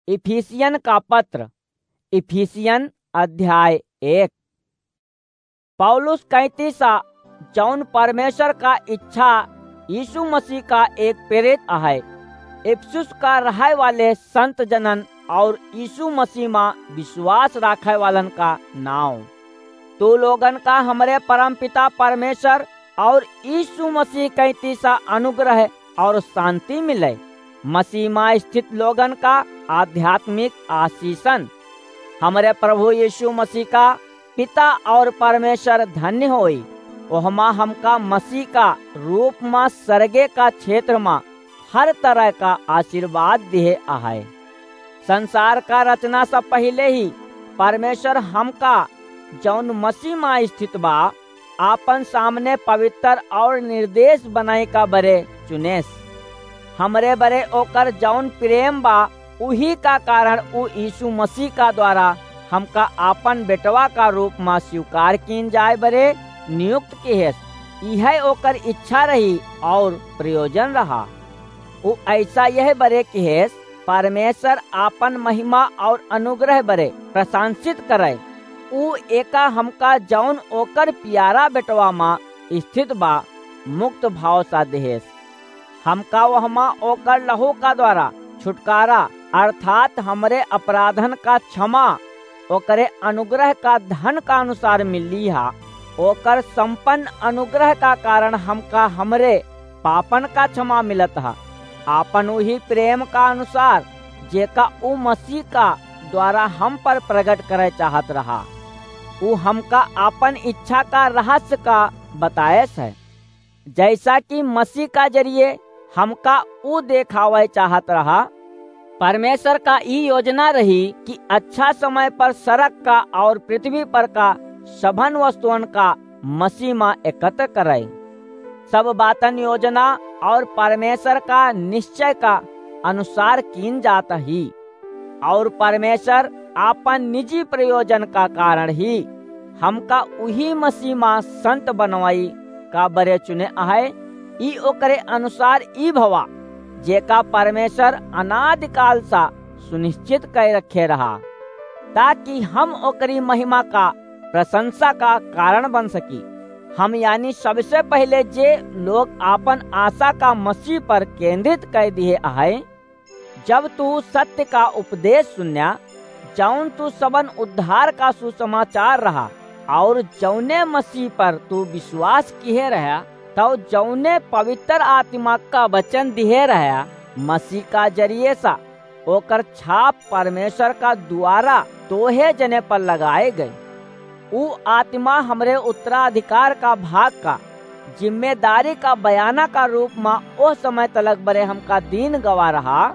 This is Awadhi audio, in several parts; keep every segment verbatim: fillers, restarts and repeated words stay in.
इफिसियन का पत्र, इफिसियन अध्याय एक। पौलुस कैंतीसा, जौन परमेश्वर का इच्छा यीशु मसीह का एक प्रेरित अहै, इफिसुस का रहै वाले संत जनन और यीशु मसीह मा विश्वास राखै वालन का नाव। तू लोगन का हमरे परमपिता परमेश्वर और यीशु मसीह कैंतीसा अनुग्रह और शांति मिले। मसीह मा स्थित लोगन का आध्यात्मिक आशीषन। हमरे प्रभु यीशु मसीह का पिता और परमेश्वर धन्य होई। ओहमा हमका मसीह का रूप मा सरगे का क्षेत्र मा हर तरह का आशीर्वाद दिहे अहै। संसार का रचना से पहिले ही परमेश्वर हमका, जौन मसीह मा स्थित बा, आपन सामने पवित्र और निर्दोष बनाए का बरे चुनेस। हमरे बरे ओकर जौन प्रेम बा, उही का कारण उ यीशु मसीह का द्वारा हमका आपन बेटवा का रूप मा स्वीकार कीन जाए बरे नियुक्त किहेस। इहै ओकर इच्छा रही और प्रयोजन रहा। उ ऐसा यह बरे किहेस, परमेश्वर आपन महिमा और अनुग्रह बरे प्रशंसित करे। उ एका हमका जौन ओकर प्यारा बेटवा मा स्थित बा, मुक्त भाव सा देहेस। हमका वहमा ओकर लहू का द्वारा छुटकारा, अर्थात हमरे अपराधन का क्षमा, ओकरे अनुग्रह का धन का अनुसार मिली हा। ओकर संपन्न अनुग्रह का कारण हमका हमरे पापन का क्षमा मिलत हा, आपन उही प्रेम का अनुसार, जेका उ मसीह का द्वारा हम पर प्रगट करे चाहत रहा। उ हमका आपन इच्छा का रहस्य का बताएस है, जैसा कि मसीह का जरिए हमका उ देखावे चाहत रहा। परमेश्वर का ई योजना रही कि अच्छा समय पर सरग का और पृथ्वी पर का सभन वस्तुअन का मसीह मा एकत्र करे। सब बातन योजना और परमेश्वर का निश्चय का अनुसार कीन जात ही, और परमेश्वर आपन निजी प्रयोजन का कारण ही हमका उही मसीह मा संत बनवाई का बरे चुने अहै। ई ओकरे अनुसार ई भवा, जेका परमेश्वर अनादिकाल सा सुनिश्चित कै रखे रहा, ताकि हम ओकरी महिमा का प्रशंसा का कारण बन सकी। हम यानी सबसे पहिले जे लोग आपन आशा का मसीह पर केंद्रित कै दिहे अहै, जब तू सत्य का उपदेश सुन्या, जौन तू सबन उद्धार का सुसमाचार रहा, और जौने मसीह पर तू विश्वास किहे रहा, तौ जौने पवित्र आत्मा का वचन दिहे रहा, मसीह का जरिए सा ओकर छाप परमेश्वर का द्वारा तोहे जने पर लगाए गए। उ आत्मा हमरे उत्तराधिकार का भाग का जिम्मेदारी का बयाना का रूप मा ओह समय तलक बरे हमका दीन गवा रहा,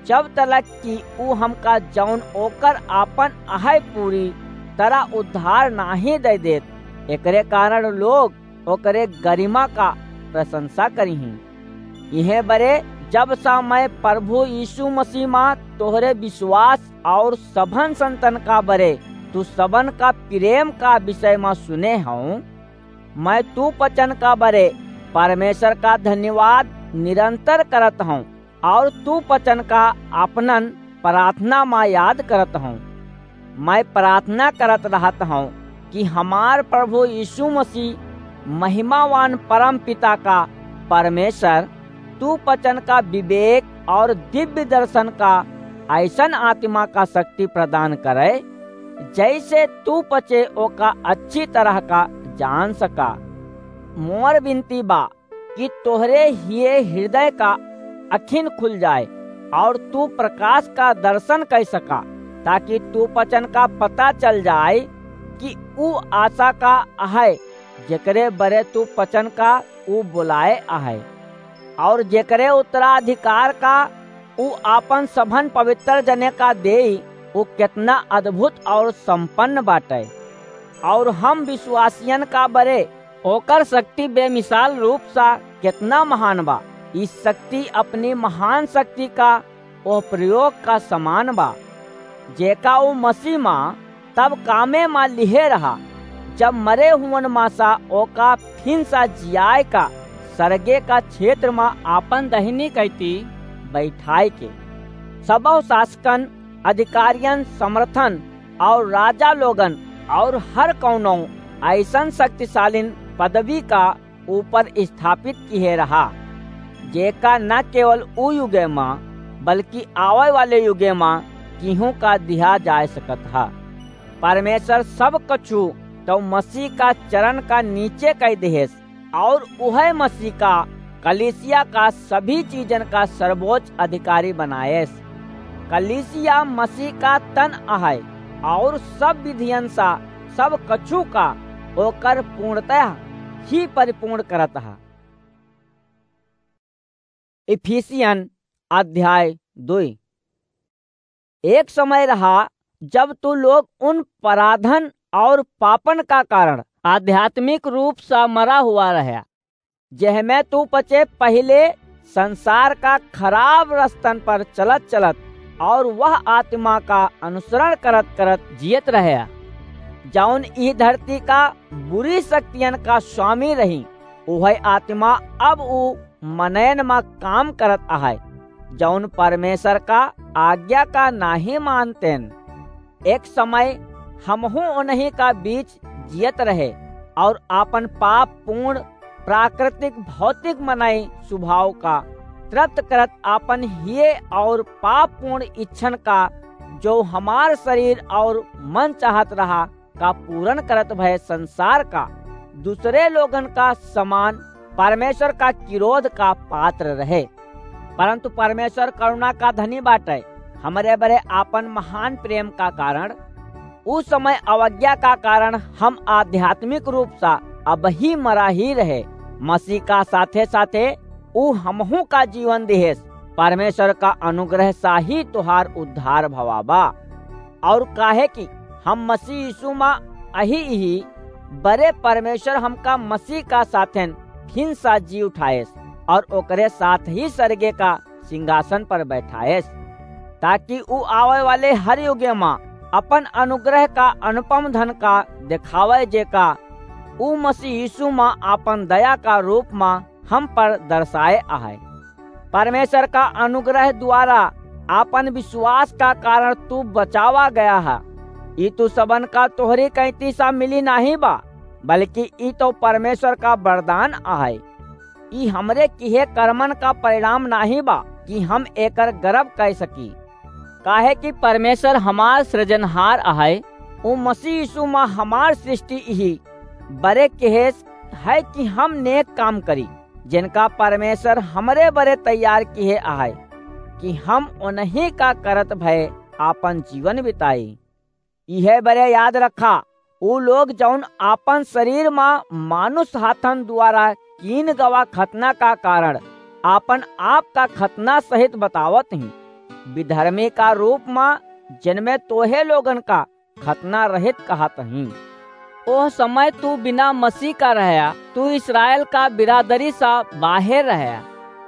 जब तलक कि उ हमका जौन ओकर आपन अहै पूरी तरह उद्धार नाहीं दे देत। एकरे कारण लोग ओकरे गरिमा का प्रशंसा करिहीं। इहे बरे जब सा मैं प्रभु यीशु मसीह मा तोहरे विश्वास और सभन संतन का बरे तू सबन का प्रेम का विषय मा सुने हौं, मैं तू पचन का बरे परमेश्वर का धन्यवाद निरंतर करत हौं और तू पचन का आपनन प्रार्थना मा याद करत हौं। मैं प्रार्थना करत रहत हौं कि हमार प्रभु यीशु मसीह महिमावान परम पिता का परमेश्वर तू पचन का विवेक और दिव्य दर्शन का ऐसन आत्मा का शक्ति प्रदान करे, जैसे तू पचे ओका अच्छी तरह का जान सका। मोर विनती बा कि तोहरे हिये हृदय का अखिन खुल जाए और तू प्रकाश का दर्शन कर सका, ताकि तू पचन का पता चल जाए कि ऊ आशा का अहै, जेकरे बरे तू पचन का ऊ बुलाए अहै, और जेकरे उत्तराधिकार का ऊ आपन सभन पवित्र जने का देई, ऊ केतना अद्भुत और संपन्न बाटे। और हम विश्वासियन का बरे ओकर शक्ति बेमिसाल रूप सा केतना महान बा। ई शक्ति अपनी महान शक्ति का ओह प्रयोग का समान बा, जेका ऊ मसीह मा तब कामे मा लिहे रहा, जब मरे हुवन मा सा ओका फिन सा जियाए का सरगे का क्षेत्र मा आपन दहिनी कैती बैठाए के। सबौ शासकन अधिकारियन समर्थन और राजा लोगन और हर कौनो ऐसन शक्तिशालीन पदवी का ऊपर स्थापित किहे रहा, जेका न केवल उ युगे मा, बल्कि आवे वाले युगे मा किहूँ का दिहा जाए सकत हा। परमेश्वर सब कछु तो मसीह का चरण का नीचे कह देहेस, और उहे मसीह का कलीसिया का सभी चीजन का सर्वोच्च अधिकारी बनाएस। कलीसिया मसीह का तन अहै, और सब विधियन सा सब कछु का ओकर पूर्णतः ही परिपूर्ण करत हा। इफिसियन अध्याय दुई। एक समय रहा, जब तू लोग उन पराधन और पापन का कारण आध्यात्मिक रूप से मरा हुआ रहा, जेहमे तू पचे पहिले संसार का खराब रस्तन पर चलत चलत और वह आत्मा का अनुसरण करत करत जियत रहा, जौन ई धरती का बुरी शक्तियन का स्वामी रही। उहै आत्मा अब उ मनयन मा काम करत अहै, जौन परमेश्वर का आज्ञा का नाहीं मानतेन। एक समय हमहूँ उन्हीं का बीच जियत रहे और आपन पाप पूर्ण प्राकृतिक भौतिक मनई स्वभाव का तृप्त करत आपन हिये और पाप पूर्ण इच्छन का, जो हमार शरीर और मन चाहत रहा, का पूरन करत भए संसार का दूसरे लोगन का समान परमेश्वर का किरोध का पात्र रहे। परंतु परमेश्वर करुणा का धनी बाटै, हमरे बरे आपन महान प्रेम का कारण, उ समय अवज्ञा का कारण हम आध्यात्मिक रूप सा अबही मरा ही रहे। मसीह का साथे साथे उ हमहू का जीवन दिहेस। परमेश्वर का अनुग्रह सा ही तोहार उद्धार भवा बा। और काहे कि हम मसीह यीशु मा अही इही बरे परमेश्वर हमका मसीह का साथेन फिन सा जी उठाएस और ओकरे साथ ही सरगे का सिंहासन पर बैठाएस, ताकि उ आवे वाले हर युगे मा अपन अनुग्रह का अनुपम धन का देखावे, जेका उ मसीह यीशु मा आपन दया का रूप मा हम पर दर्शाए अहै। परमेश्वर का अनुग्रह द्वारा आपन विश्वास का कारण तू बचावा गया है। ई तू सबन का तोहरी कैंती सा मिली नाहीं बा, बल्कि ई तो परमेश्वर का वरदान अहै। ई हमरे किहे कर्मन का परिणाम नाहीं बा कि हम एकर गर्व कइ सकी। काहे कि परमेश्वर हमार सृजनहार अहै, उ मसीह यीशु मा हमार सृष्टि इही बरे किहेस है कि हम नेक काम करी, जिनका परमेश्वर हमरे बरे तैयार किहे अहै कि हम उन्हीं का करत भए आपन जीवन बिताई। इहे बरे याद रखा, उ लोग जौन आपन शरीर मा मानुष हाथन द्वारा कीन गवा खतना का कारण आपन आप का खतना सहित बतावत ही, विधर्मी का रूप मा जिनमें तोहे लोगन का खतना रहित कहत ही। ओह समय तू बिना मसीह का रहया, तू इस्राएल का बिरादरी सा बाहेर रहया।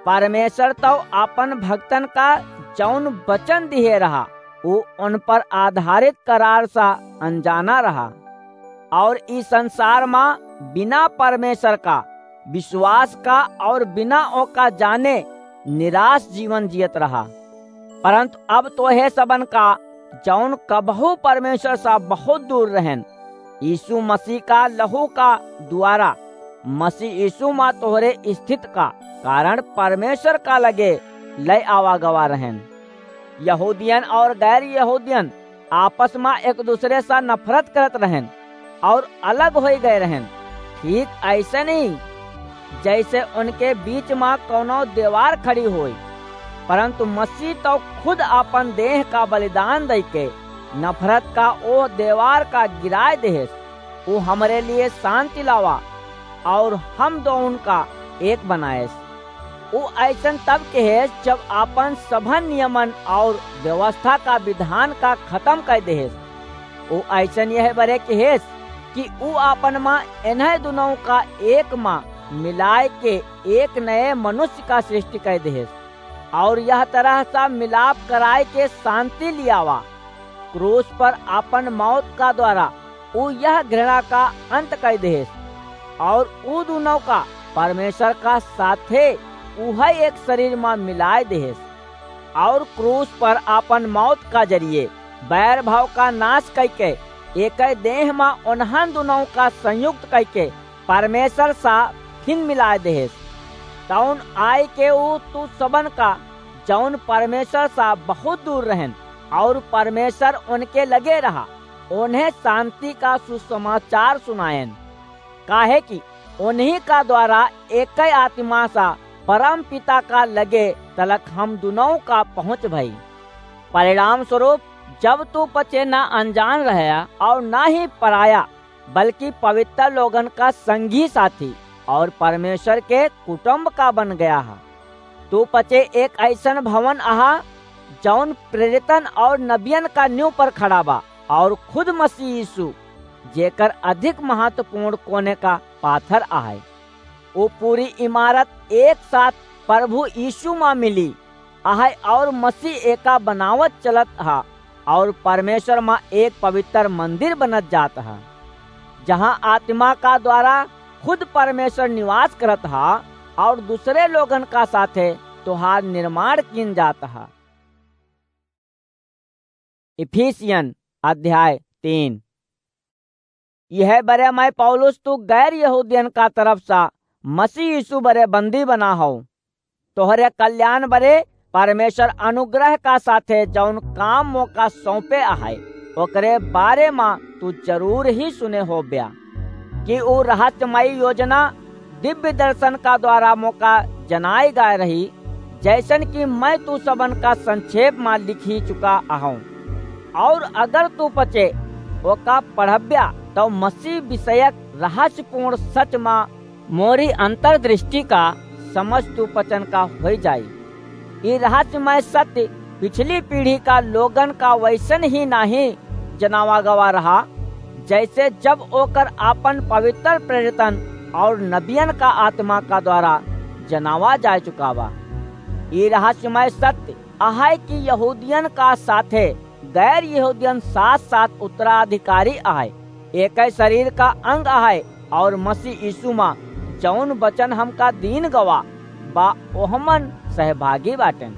परमेश्वर तो आपन भक्तन का जौन वचन दिहे रहा, उ उन पर आधारित करार सा अनजाना रहा। और ई संसार मा बिना परमेश्वर का विश्वास का और बिना ओका जाने निराश जीवन जियत रहा। परंतु अब तोहे सबन का, जौन कबहू परमेश्वर सा बहुत दूर रहन, यीशु मसीह का लहू का द्वारा मसीह यीशु मा तोहरे स्थित का कारण परमेश्वर का लगे लय आवा गवा रहन। यहूदियन और गैर यहूदियन आपस मा एक दूसरे सा नफरत करत रहन और अलग होइ गए रहन। ठीक ऐसे नहीं, जैसे उनके बीच मा कौनो दीवार खड़ी होई, परंतु मसीह तो खुद आपन देह का बलिदान दइके नफरत का ओ दीवार का गिराए देहेस। उ हमरे लिए शांति लावा और हम दोउन का एक बनाएस। उ ऐसन तब कहेस, जब आपन सभन नियमन और व्यवस्था का विधान का खत्म कर देहेस। उ ऐसन यह बरे कहेस कि उ आपन मा इन्हें दुनों का एक मा मिलाए के एक नए मनुष्य का सृष्टि कर देहेस और यह तरह सा मिलाप कराए के शांति लियावा। क्रूस पर आपन मौत का द्वारा उ यह घृणा का अंत कर देहेस और उ दुनों का परमेश्वर का साथे उहै एक शरीर मा मिलाए देहेस। और क्रूस पर आपन मौत का जरिए बैर भाव का नाश कइके, एकै देह मा उन्हन दुनों का संयुक्त कइके परमेश्वर सा फिन मिलाय देहेस। तौन आय के ऊ तू सबन का, जौन परमेश्वर सा बहुत दूर रहन, और परमेश्वर उनके लगे रहा, उन्हें शांति का सुसमाचार सुनायन। काहे कि उन्हीं का द्वारा एकै आत्मा सा परम पिता का लगे तलक हम दुनों का पहुँच भई। परिणाम स्वरूप, जब तू पचे ना अनजान रहया और ना ही पराया, बल्कि पवित्र लोगन का संगी साथी और परमेश्वर के कुटुंब का बन गया हा। तू पचे एक ऐसन भवन अहा, जौन प्रेरितन और नबियन का नींव पर खड़ा बा, और खुद मसीह यीशु, जेकर अधिक महत्वपूर्ण कोने का पाथर आहे। वो पूरी इमारत एक साथ प्रभु यीशु मा मिली आहे, और मसीह एका बनावत चलत हा, और परमेश्वर मा एक पवित्र मंदिर बनत जात हा, जहाँ आत्मा का द्वारा खुद परमेश्वर निवास करत हा, और दूसरे लोगन का साथे तोहार निर्माण कीन जात हा। इफिसियन अध्याय तीन। यह बरे मैं पौलुस तू गैर यहूदियन का तरफ सा मसीह यीशु बरे बंदी बना हूँ। तोहरे कल्याण बरे परमेश्वर अनुग्रह का साथे जौन काम मोका सौंपे आहे, ओकरे बारे मा तू जरूर ही सुने होब्या कि ऊ रहस्यमयी योजना दिव्य दर्शन का द्वारा मोका जनाई गए रही, जैसन कि मैं तू सबन का संक्षेप मा लिखी चुका अहूँ। और अगर तू पचे ओका पढ़ब्या, तो मसीह विषयक रहस्यपूर्ण सच मा मोरी अंतर्दृष्टि का समझ तू पचन का होई जाई। ई रहस्यमय सत्य पिछली पीढ़ी का लोगन का वैसन ही नाही जनावा गवा रहा, जैसे जब ओकर आपन पवित्र प्रेरितन और नबियन का आत्मा का द्वारा जनावा जा चुका बा। ई रहस्यमय सत्य अहै कि यहूदियन का साथे गैर यहूदियन साथ-साथ उत्तराधिकारी अहै, एकै शरीर का अंग अहै, और मसीह यीशु मा जौन वचन हमका दीन गवा बा, ओहमन सहभागी बाटेन।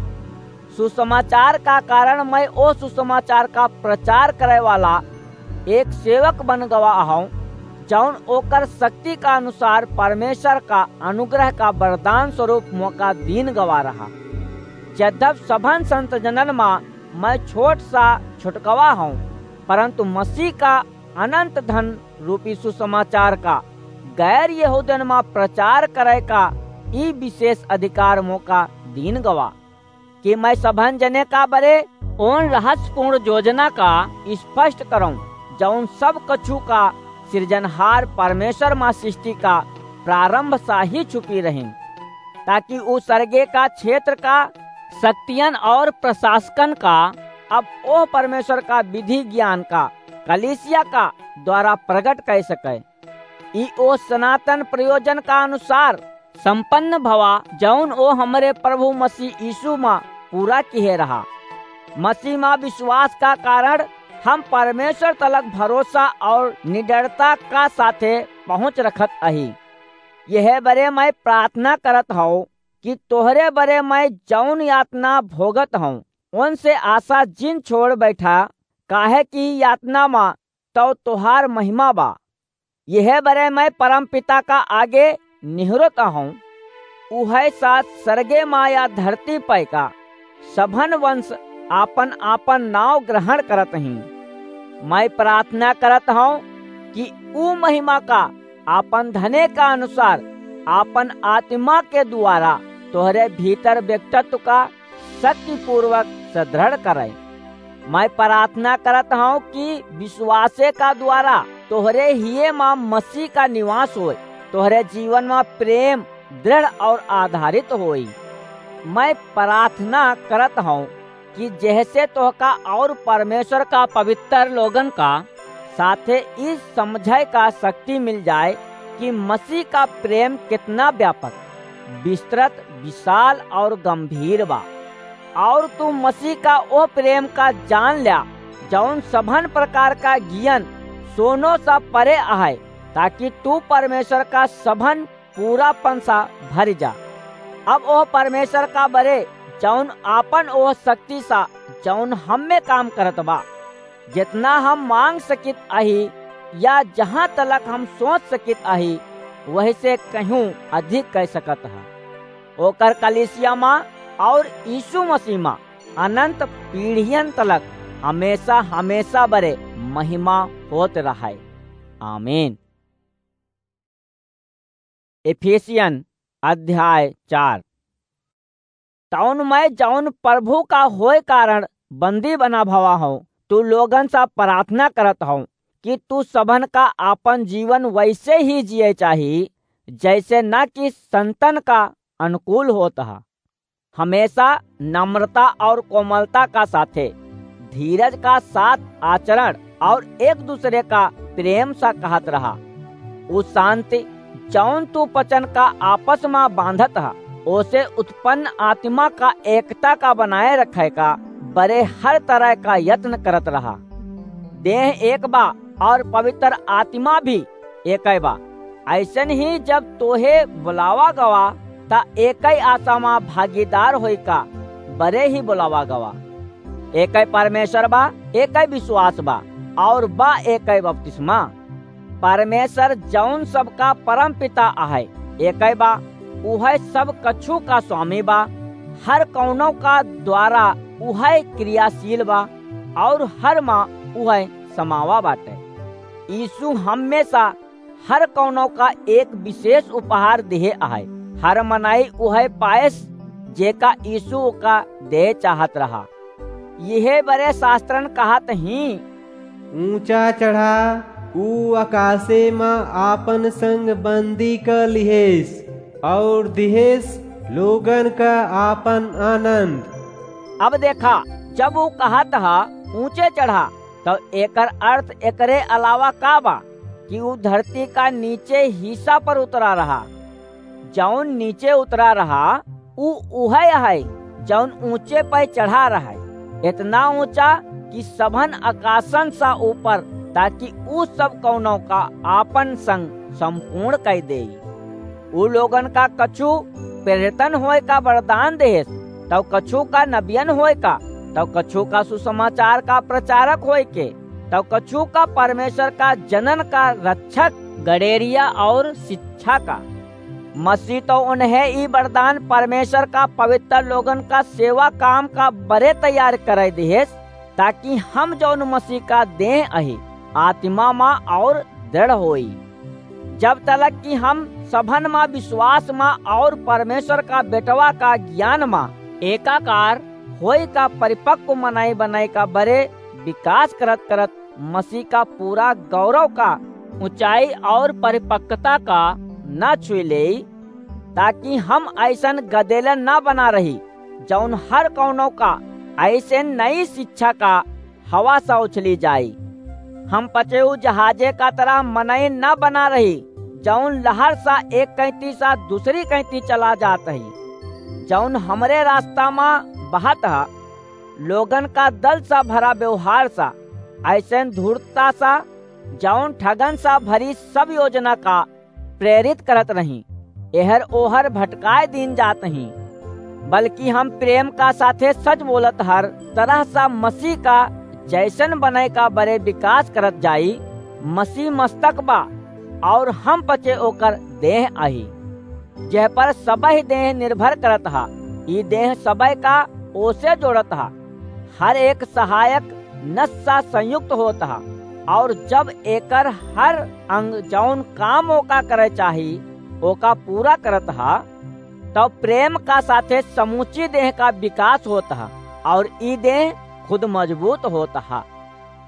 सुसमाचार का कारण मैं ओ सुसमाचार का प्रचार करे वाला एक सेवक बन गवा अहूँ, जौन ओकर शक्ति का अनुसार परमेश्वर का अनुग्रह का वरदान स्वरूप मोका दीन गवा रहा। जद्यप सभन संत जनन मा मैं छोट सा छुटकवा हूँ, परंतु मसीह का अनंत धन रूपी सुसमाचार का गैर यहूदन मा प्रचार करे का ई विशेष अधिकार मोका दीन गवा, कि मैं सभन जने का बरे ओन रहस्यपूर्ण योजना का स्पष्ट करऊं, जौन सब कछु का सृजनहार परमेश्वर मा सृष्टि का प्रारंभ सा ही छुपी रही, ताकि ऊ सर्गे का क्षेत्र का शक्तियन और प्रशासकन का अब ओह परमेश्वर का विधि ज्ञान का कलीसिया का द्वारा प्रगट कर सके। ई ओ सनातन प्रयोजन का अनुसार संपन्न भवा, जौन ओ हमरे प्रभु मसीह यीशु मा पूरा किहे रहा। मसीह मा विश्वास का कारण हम परमेश्वर तलक भरोसा और निडरता का साथे पहुँच रखत अही। यह बरे मैं प्रार्थना करत हूँ कि तोहरे बरे मैं जौन यातना भोगत हूँ, उनसे आशा जिन छोड़ बैठा, काहे कि यातना मा तो तोहार महिमा बा। यह बरे मैं परमपिता का आगे निहुरत हूँ, उहै साथ सर्गे मा या धरती पै का सभन वंश आपन आपन नाव ग्रहण करत ही। मैं प्रार्थना करत हूँ कि ऊ महिमा का आपन धने का अनुसार आपन आत्मा के द्वारा तोहरे भीतर व्यक्तित्व का शक्तिपूर्वक सुदृढ़ करे। मैं प्रार्थना करत हूँ कि विश्वासे का द्वारा तोहरे हिये मा मसीह का निवास होय, तोहरे जीवन मा प्रेम दृढ़ और आधारित होई। मैं प्रार्थना करत हूँ कि जैसे तोहका और परमेश्वर का पवित्र लोगन का साथे इस समझे का शक्ति मिल जाए कि मसीह का प्रेम कितना व्यापक, विस्तृत, विशाल और गंभीर बा। और तू मसीह का ओ प्रेम का जान ल्या, जौन सभन प्रकार का गियन सोनो सा परे आहे, ताकि तू परमेश्वर का सभन पूरापन सा भरि जा। अब ओह परमेश्वर का बरे जौन आपन ओह शक्ति सा, जौन हम्मे काम करत बा, जितना हम मांग सकित अही या जहाँ तलक हम सोच सकित अही, वही से कहूँ अधिक कह सकत ह। ओकर कलीसिया मा और यीशु मसीह मा अनंत पीढ़ियन तलक हमेशा, हमेशा बरे महिमा होत रहे। आमीन। इफिसियन अध्याय चार। तौन मैं जौन प्रभु का होए कारण बंदी बना भवा हूँ, तू लोगन सा प्रार्थना करत हूँ कि तू सबन का आपन जीवन वैसे ही जिए चाही, जैसे न कि संतन का अनुकूल होत ह। हमेशा नम्रता और कोमलता का साथे धीरज का साथ आचरण और एक दूसरे का प्रेम सा कहत रहा। उ शांति जौन तू वचन का आपस मा बांधत ह, ओसे उत्पन्न आत्मा का एकता का बनाए रखे का बरे हर तरह का यत्न करत रहा। देह एक बा और पवित्र आत्मा भी एकइ बा। ऐसन ही जब तोहे बुलावा गवा, त एकइ आशा मा भागीदार होई का बरे ही बुलावा गवा। एकइ परमेश्वर बा, एकइ विश्वास बा, और बा एकइ बपतिस्मा। परमेश्वर जौन सबका परम पिता आहे, एकइ बा, उहइ सब कछु का स्वामी बा, हर कौनो का द्वारा उहइ क्रियाशील बा, और हर मा उहइ समावा बाटे। यीशु हमेशा हर कौनो का एक विशेष उपहार दिहे आहे। हर मनई उहइ पाएस, जेका यीशु ओका दे चाहत रहा। यहे बरे शास्त्रन कहत ही, ऊंचा चढ़ा, ऊ आकाशे मा आपन संग बंदी क लिहेस, और दिहेस लोगन क आपन आनंद। अब देखा, जब ऊ कहत ह, ऊंचे चढ़ा, तो एकर अर्थ एकरे अलावा का बा कि ऊ धरती का नीचे हिस्सा पर उतरा रहा। जौन नीचे उतरा रहा, ऊ उहइ है, जौन ऊंचे पे चढ़ा रहा है, इतना ऊंचा कि सभन आकाशन सा ऊपर, ताकि ऊ सब कौनो का आपन संग संपूर्ण कइ देई। ऊ लोगन का कछु प्रेरितन होए का वरदान देहेस, तौ कछु का नबियन होए का, तौ कछु का सुसमाचार का प्रचारक होए के, तौ कछु का परमेश्वर का जनन का रक्षक, गड़ेरिया और शिक्षा का। मसीह तौ उन्हें ई वरदान परमेश्वर का पवित्र लोगन का सेवा काम का बरे तैयार करे दिहेस, ताकि हम जौन मसीह का देह अही, आत्मा मा और दृढ़ होई। जब तलक कि हम सभन मा विश्वास मा और परमेश्वर का बेटवा का ज्ञान मा एकाकार होई का परिपक्व मनई बनई का बरे विकास करत करत मसीह का पूरा गौरव का ऊंचाई और परिपक्वता का न छुई लेई, ताकि हम ऐसन गदेलन न बना रही, जौन हर कौनो का ऐसे नई शिक्षा का हवा सा उछली जाई। हम पचे ऊ जहाजे का तरह मनई न बना रही, जौन लहर सा एक कैंती सा दूसरी कैंती चला जात ही, जौन हमरे रास्ता मा बहत ह, लोगन का दल सा भरा व्यवहार सा, ऐसन धूर्तता सा, जौन ठगन सा भरी सब योजना का प्रेरित करत रही, एहर ओहर भटकाए दीन जात ही। बल्कि हम प्रेम का साथे सच बोलत हर तरह सा मसीह का जैसन बने का बरे विकास करत जाई। मसीह मस्तक बा और हम पचे ओकर देह अही, जेह पर सबह देह निर्भर करत हा। ई देह सबह का ओसे जोड़त हा। हर एक सहायक नस सा संयुक्त होत हा, और जब एकर हर अंग जौन काम ओका करे चाही, ओका पूरा करत हा, तब प्रेम का साथे समूची देह का विकास होत हा, और ई देह खुद मजबूत होत हा।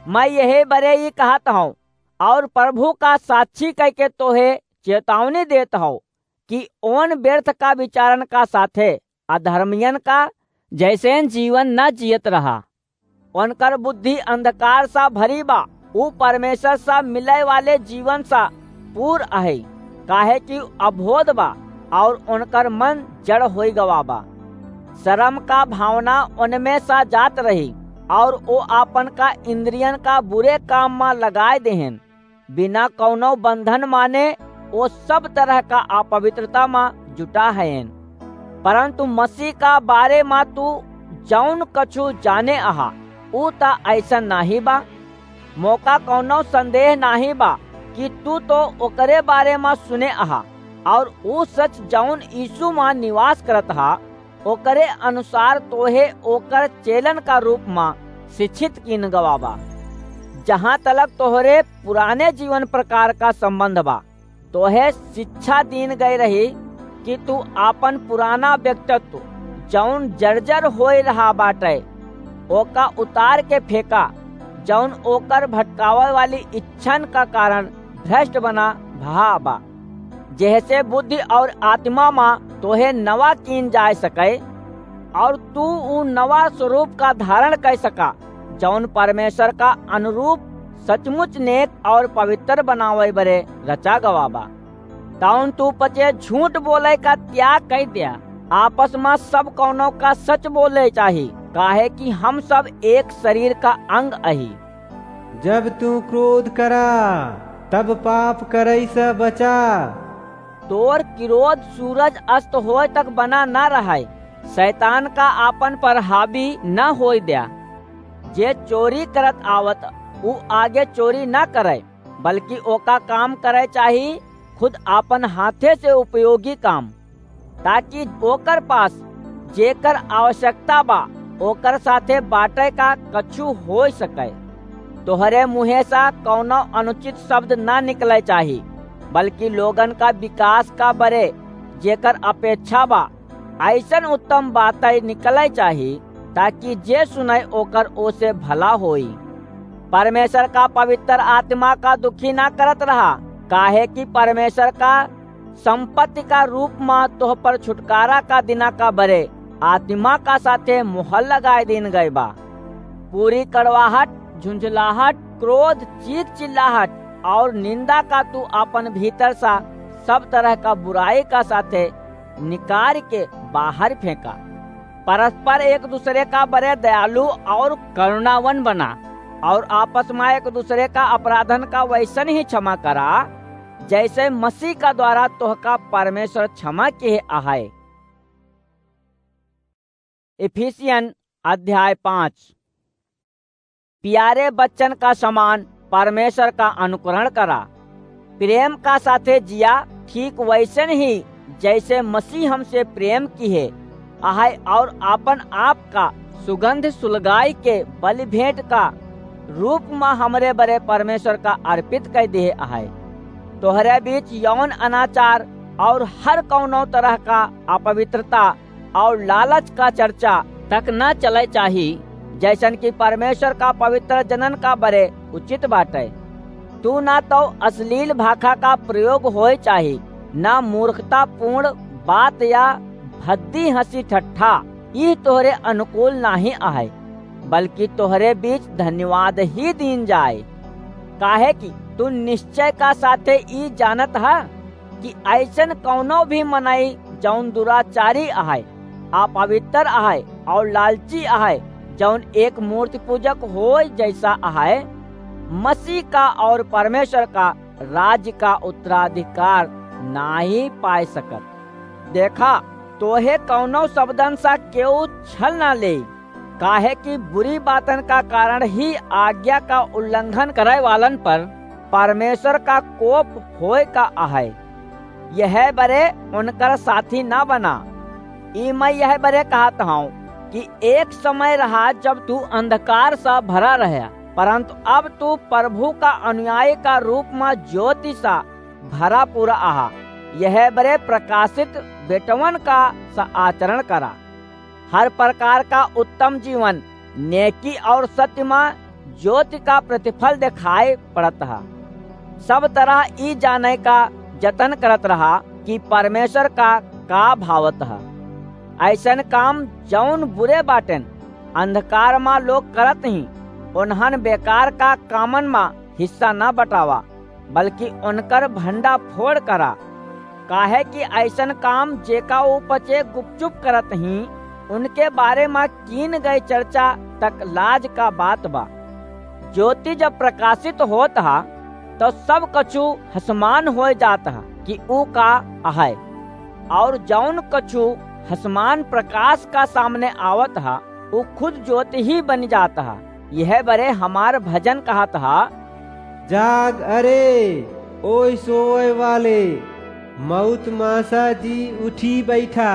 मैं यही बरे ई कहत हूँ, और प्रभु का साक्षी कह के तोहे चेतावनी देत हूँ कि ओन व्यर्थ का विचारन का साथे अधर्मियन का जैसेन जीवन न जियत रहा। उनकर बुद्धि अंधकार सा भरी बा, ऊ परमेश्वर सा मिले वाले जीवन सा पूर आहे, काहे कि अबोध बा, और उनकर मन जड़ होई गवा बा। शर्म का भावना उनमें सा जात रही, और ओ आपन का इंद्रियन का बुरे काम मा लगाए देहेन। बिना कौनो बंधन माने ओ सब तरह का अपवित्रता मा जुटा हयेन। परन्तु मसीह का बारे मा तू जौन कछु जाने अहा, ऊ त अइसन नाहीं बा। मोका कौनो संदेह नाहीं बा कि तू तो ओकरे बारे मा सुने अहा, और ऊ सच जौन यीशु मा निवास करत हा, ओकरे अनुसार तोहे ओकर चेलन का रूप मा शिक्षित कीन गवा बा। जहाँ तलक तोहरे पुराने जीवन प्रकार का संबंध बा, तोहे शिक्षा दीन गई रही कि तू आपन पुराना व्यक्तित्व, जौन जर्जर होए रहा बाटे, ओका उतार के फेंका, जौन ओकर भटकावे वाली इच्छन का कारण भ्रष्ट बना भा बा, जेहसे बुद्धि और आत्मा मा तोहे नवा कीन जाए सके, और तू ऊ नवा स्वरूप का धारण कर सका, जौन परमेश्वर का अनुरूप सचमुच नेक और पवित्र बनावे बरे रचा गवा बा। तौन तू पचे झूठ बोले का त्याग कर दिया। आपस मा सब कौनो का सच बोले चाही, काहे कि हम सब एक शरीर का अंग अही। जब तू क्रोध करा, तब पाप करई से बचा। तोर क्रोध सूरज अस्त होए तक बना न रहे। शैतान का आपन पर हावी न होए द्या। जे चोरी करत आवत, ऊ आगे चोरी न करे, बल्कि ओका काम करे चाही, खुद आपन हाथे से उपयोगी काम, ताकि ओकर पास जेकर आवश्यकता बा, ओकर साथे बाटे का कछु होए सके। तोहरे मुँहे से कौनो अनुचित शब्द न निकले चाही, बल्कि लोगन का विकास का बरे जेकर अपेक्षा बा, अइसन उत्तम बातै निकलै चाही, ताकि जे सुनै ओकर ओसे भला होई। परमेश्वर का पवित्र आत्मा का दुखी ना करत रहा, काहे कि परमेश्वर का संपत्ति का रूप मा तोह पर छुटकारा का दिना का बरे आत्मा का साथे मोहर लगाए दीन गए बा। पूरी कड़वाहट, झुंझलाहट, क्रोध, चीख चिल्लाहट और निंदा का तू अपन भीतर सा सब तरह का बुराई का साथे निकार के बाहर फेंका। परस्पर एक दूसरे का बरे दयालु और करुणावन बना और आपस मा एक दूसरे का अपराधन का वैसन ही क्षमा करा, जैसे मसीह का द्वारा तोहका परमेश्वर क्षमा किहे अहै। इफिसियन अध्याय पाँच। प्यारे बच्चन का समान परमेश्वर का अनुकरण करा। प्रेम का साथे जिया, ठीक वैसन ही जैसे मसीह हमसे प्रेम किहे अहै और आपन आप का सुगंध सुलगाई के बलि भेंट का रूप मा हमरे बरे परमेश्वर का अर्पित कर दिहे अहै। तोहरे बीच यौन अनाचार और हर कौनो तरह का अपवित्रता और लालच का चर्चा तक न चलै चाही, जैसन कि परमेश्वर का पवित्र जनन का बरे उचित बाटे। तू ना तो अश्लील भाखा का प्रयोग होए चाही, ना मूर्खतापूर्ण बात या भद्दी हँसी ठट्ठा, ई तोहरे अनुकूल नाहीं अहै, बल्कि तोहरे बीच धन्यवाद ही दीन जाए। काहे कि तू निश्चय का साथे ई जानत ह कि अइसन कौनो भी मनई जौन दुराचारी अहै, अपवित्र अहै और लालची अहै, जौन एक मूर्ति पूजक होय जैसा अहै, मसीह का और परमेश्वर का राज्य का उत्तराधिकार नाहीं पाए सकत। देखा, तोहे कौनो शब्दन सा केहू छल ना ले, काहे कि बुरी बातन का कारण ही आज्ञा का उल्लंघन करे वालन पर परमेश्वर का कोप होए का अहै। यह बरे उनकर साथी ना बना। ई मैं यह बरे कहत हूँ कि एक समय रहा जब तू अंधकार सा भरा रहा, परंतु अब तू प्रभु का अनुयायी का रूप मा ज्योति सा भरा पूरा अहा। यह बरे प्रकाशित बेटवन का सा आचरण करा। हर प्रकार का उत्तम जीवन, नेकी और सत्य मा ज्योति का प्रतिफल देखाए पड़त ह। सब तरह ई जाने का जतन करत रहा कि परमेश्वर का का भावत ह। अइसन काम जौन बुरे बाटेन, अंधकार मा लोग करत ही, उन्हन बेकार का कामन मा हिस्सा न बटावा, बल्कि उनकर भंडा फोड़ करा। काहे कि अइसन काम जेका ऊ पचे गुपचुप करत ही, उनके बारे मा कीन गए चर्चा तक लाज का बात बा। ज्योति जब प्रकाशित होत ह, तो सब कछु हसमान होए जात ह कि ऊ का अहै, और जौन कछु हसमान प्रकाश का सामने आवत हा, उ खुद ज्योति ही बनि जात हा। यह बरे हमार भजन कहत हा। जाग अरे, ओय सोवय वाले, मउत मा सा जी उठी बइठा,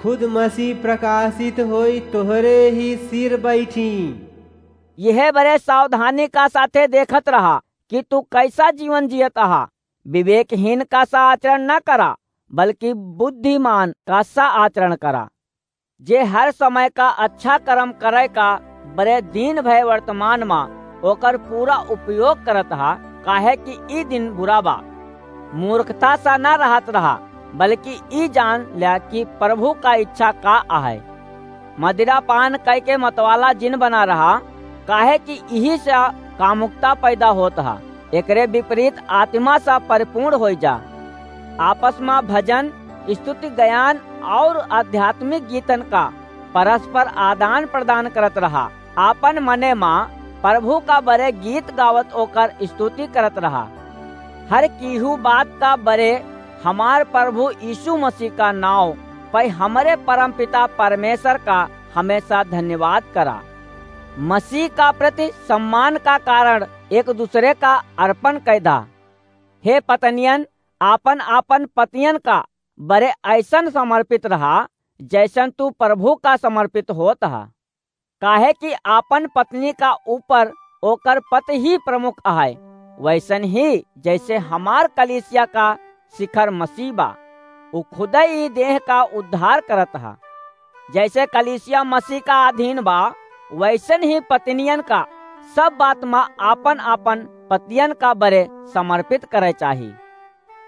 खुद मसीह प्रकाशित होई तोहरे ही सिर बइठी। यह बरे सावधानी का साथे देखत रहा कि तू कइसा जीवन जियत हा। विवेकहीन का सा आचरण न करा, बल्कि बुद्धिमान का सा आचरण करा। जे हर समय का अच्छा कर्म करय का बरे दिन भय वर्तमान मा ओकर पूरा उपयोग करत हा, काहे कि ई दिन बुरा बा। मूर्खता सा न रहत रहा, बल्कि ई जान ल्या कि प्रभु का इच्छा का आहे। मदिरा पान कइके मतवाला जिन बना रहा, काहे कि इही से कामुकता पैदा होत हा। एकरे विपरीत आत्मा सा परिपूर्ण होइ जा। आपस मा भजन, स्तुति, गायन और आध्यात्मिक गीतन का परस्पर आदान प्रदान करत रहा। आपन मने मा प्रभु का बरे गीत गावत ओकर स्तुति करत रहा। हर कीहू बात का बरे हमार प्रभु यीशु मसीह का नाव पै हमरे परमपिता परमेश्वर का हमेशा धन्यवाद करा। मसीह का प्रति सम्मान का कारण एक दूसरे का अर्पण कैदा। हे पत्नियन, आपन आपन पतियन का बरे ऐसन समर्पित रहा, जैसन तू प्रभु का समर्पित होत हा। काहे कि आपन पत्नी का ऊपर ओकर पति ही प्रमुख अहै, वैसन ही जैसे हमार कलीसिया का शिखर मसीह बा, उ खुदै ई देह का उद्धार करत हा। जैसे कलीसिया मसीह का अधीन बा, वैसन ही पत्नियन का सब बात मा आपन आपन पतियन का बरे समर्पित करै चाही।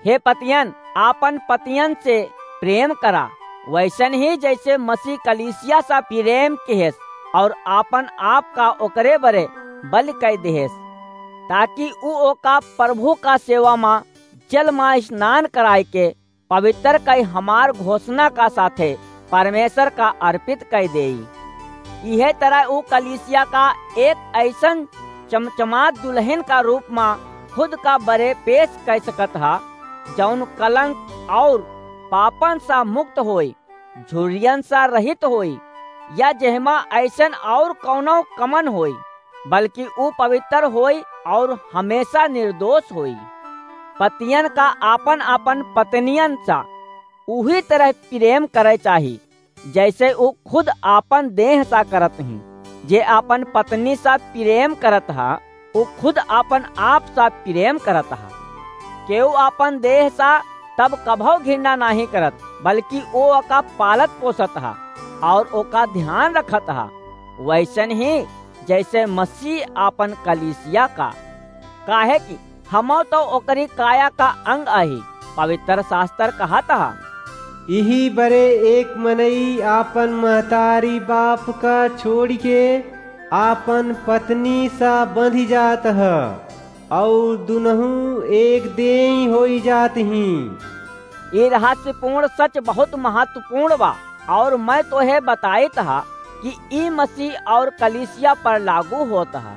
हे पतियन, आपन पतियन से प्रेम करा, वैसन ही जैसे मसीह कलीसिया सा प्रेम किहेस और आपन आप का ओकरे बरे बलि कै दिहेस, ताकि उ ओका प्रभु का सेवा मा जल मा स्नान कराय के पवित्र कै हमार घोषणा का साथे परमेश्वर का अर्पित कै देई। इहे तरह उ कलीसिया का एक ऐसन चमचमात दुल्हन का रूप मा खुद का बरे पेश कै सकत हा, जौन कलंक और पापन सा मुक्त होई, झुर्रियन सा रहित होई, या जेहमा ऐसन और कौनो कमन होई, बल्कि उ पवित्र होई और हमेशा निर्दोष होई। पतियन का आपन आपन पत्नियन सा उही तरह प्रेम करै चाही, जैसे उ खुद आपन देह सा करत ही। जे आपन पत्नी सा प्रेम करत हा, उ खुद आपन आप सा प्रेम करत हा। केहू आपन देह सा तब कभौ घृणा नाहीं करत, बल्कि ओ ओका पालत पोसत हा और ओका ध्यान रखत हा, वैसन ही जैसे मसीह आपन कलीसिया का। काहे कि हमौ तो ओकरी काया का अंग अही। पवित्र शास्त्र कहत हा, इही बरे एक मनई आपन महतारी बाप का छोड़ि के आपन पत्नी सा बंधि जात ह, और दुनहु एक देई होई जात ही। ई रहस्यपूर्ण सच बहुत महत्वपूर्ण बा, और मैं तोहे बताइत हा कि ई मसीह और कलीसिया पर लागू होत हा।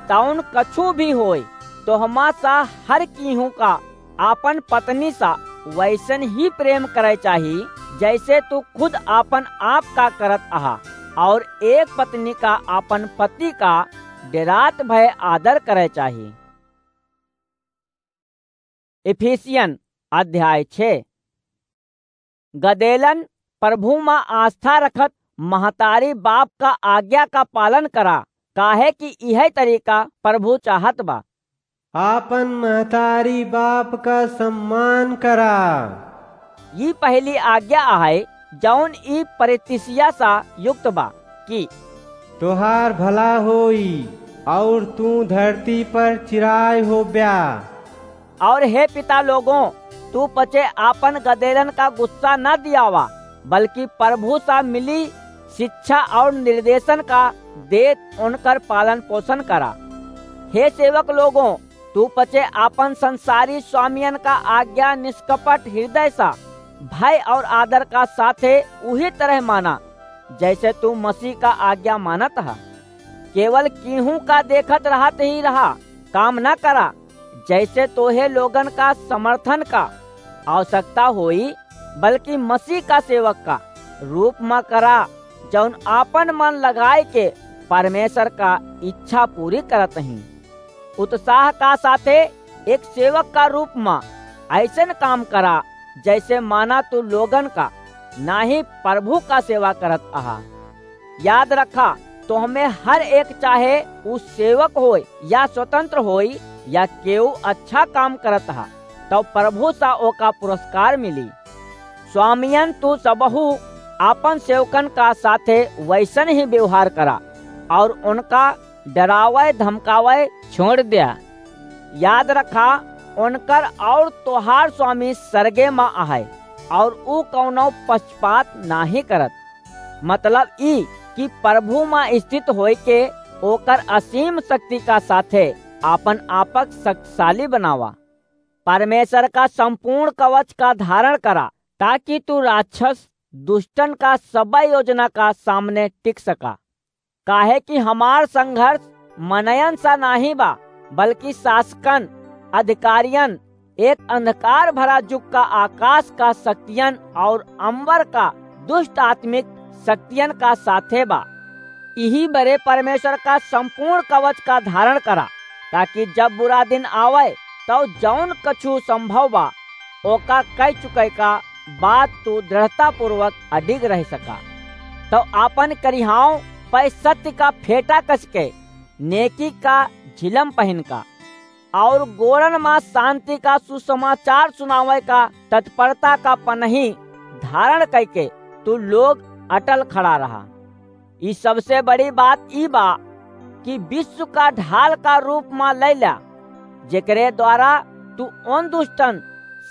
तौन कछु भी होय, तोहमा सा हर कीहू का आपन पत्नी सा वैसन ही प्रेम करै चाही, जैसे तू खुद आपन आप का करत अहा, और एक पत्नी का आपन पति का डेरात भय आदर करै चाही। इफिसियन अध्याय छह। गदेलन, प्रभु मा आस्था रखत महतारी बाप का आज्ञा का पालन करा, काहे कि इहै तरीका प्रभु चाहत बा। आपन महतारी बाप का सम्मान करा। ई पहली आज्ञा अहै, जौन ई परितिसिया सा युक्त बा कि तोहार भला होई, और तू धरती पर चिराय होब्या। और हे पिता लोगों, तू पचे आपन गदेलन का गुस्सा न दियावा, बल्कि प्रभु सा मिली शिक्षा और निर्देशन का देत उनकर पालन पोषण करा। हे सेवक लोगों, तू पचे आपन संसारी स्वामियन का आज्ञा निष्कपट हृदय सा भय और आदर का साथे उही तरह माना, जैसे तू मसीह का आज्ञा मानत हा। केवल कीहू का देखत रहत ही रहा, काम न करा, जैसे तोहे लोगन का समर्थन का आवश्यकता होई, बल्कि मसीह का सेवक का रूप मा करा, जौन आपन मन लगाए के परमेश्वर का इच्छा पूरी करत ही। उत्साह का साथे एक सेवक का रूप मा ऐसन काम करा, जैसे माना तू लोगन का, ना ही प्रभु का सेवा करत अहा। याद रखा, तोहमे हर एक, चाहे उ सेवक होय या स्वतंत्र होय या केहू अच्छा काम करत हा, तब प्रभु सा ओका पुरस्कार मिली। स्वामियन, तू सबहू आपन सेवकन का साथे वैसन ही व्यवहार करा और उनका डरावे धमकावे छोड़ द्या। याद रखा, उनकर और तोहार स्वामी सरगे मा आहे और ऊ कौनो पक्षपात नाही करत। मतलब ई कि प्रभु मा स्थित होय के ओकर असीम शक्ति का साथे आपन आपक शक्तिशाली बनावा। परमेश्वर का संपूर्ण कवच का धारण करा, ताकि तू राक्षस दुष्टन का सब योजना का सामने टिक सका। काहे कि हमार संघर्ष मनयन सा नाही बा, बल्कि शासकन, अधिकारियन, एक अंधकार भरा युग का आकाश का शक्तियन और अंबर का दुष्ट आत्मिक शक्तियन का साथे बा। इही बरे परमेश्वर का संपूर्ण कवच का धारण करा, ताकि जब बुरा दिन आवे, तो जौन कछु संभव बा, ओका कह चुके का बाद तू दृढ़तापूर्वक अडिग रह सका। तो आपन करिहाओं पै सत्य का फेटा कस के, नेकी का झिलम पहिन का, और गोड़न मा शांति का सुसमाचार सुनावे का तत्परता का पनही धारण कइके तू लोग अटल खड़ा रहा। ई सबसे बड़ी बात ई बा कि विश्व का ढाल का रूप मा लैला, जेकरे द्वारा तू उन दुष्टन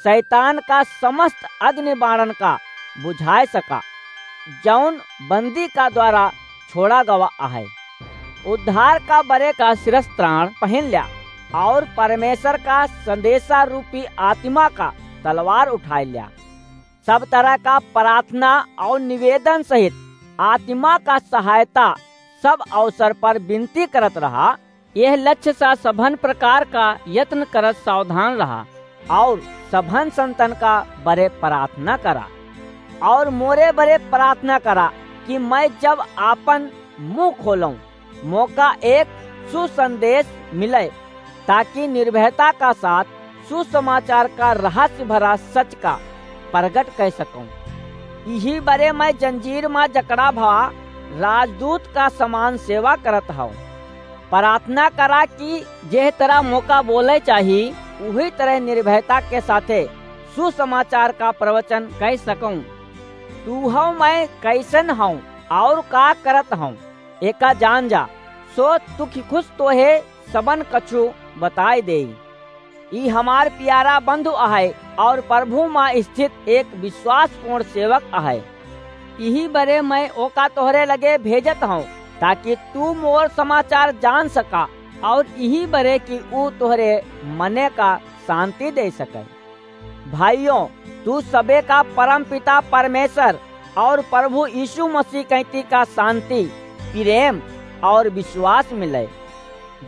शैतान का समस्त अग्नि बाणन का बुझाए सका, जौन बंदी का द्वारा छोड़ा गवा आहे। उद्धार का बरे का शिरस्त्राण पहिन ल्या और परमेश्वर का संदेशा रूपी आत्मा का तलवार उठाए ल्या। सब तरह का प्रार्थना और निवेदन सहित आत्मा का सहायता सब अवसर पर विनती करत रहा। यह लक्ष्य सा सभन प्रकार का यत्न करत सावधान रहा और सभन संतन का बरे प्रार्थना करा और मोरे बरे प्रार्थना करा कि मैं जब आपन मुंह खोलूं, मोका एक सुसंदेश मिले, ताकि निर्भयता का साथ सुसमाचार का रहस्य भरा सच का प्रगट कर सकूं। इही बरे मैं जंजीर मा जकड़ा भा राजदूत का समान सेवा करत हूँ। प्रार्थना करा कि जेह तरह मोका बोले चाही, उही तरह निर्भयता के साथे सुसमाचार का प्रवचन कर सकूं। तू हव मैं कैसन हूँ और का करत हूँ, एका जान जा। सो तुखी खुश तोहे सबन कछु बताए देई। ई हमार प्यारा बंधु अहै और प्रभु मा स्थित एक विश्वासपूर्ण सेवक अहै। इही बरे मैं ओका तोहरे लगे भेजत हूँ, ताकि तू मोर समाचार जान सका और इही बरे कि ऊ तोहरे मने का शांति दे सके। भाइयों, तू सबे का परमपिता परमेश्वर और प्रभु यीशु मसीह कैती का शांति, प्रेम और विश्वास मिले।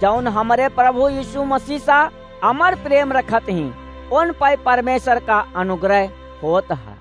जौन हमरे प्रभु यीशु मसीह सा अमर प्रेम रखत ही, उन पै परमेश्वर का अनुग्रह होत है।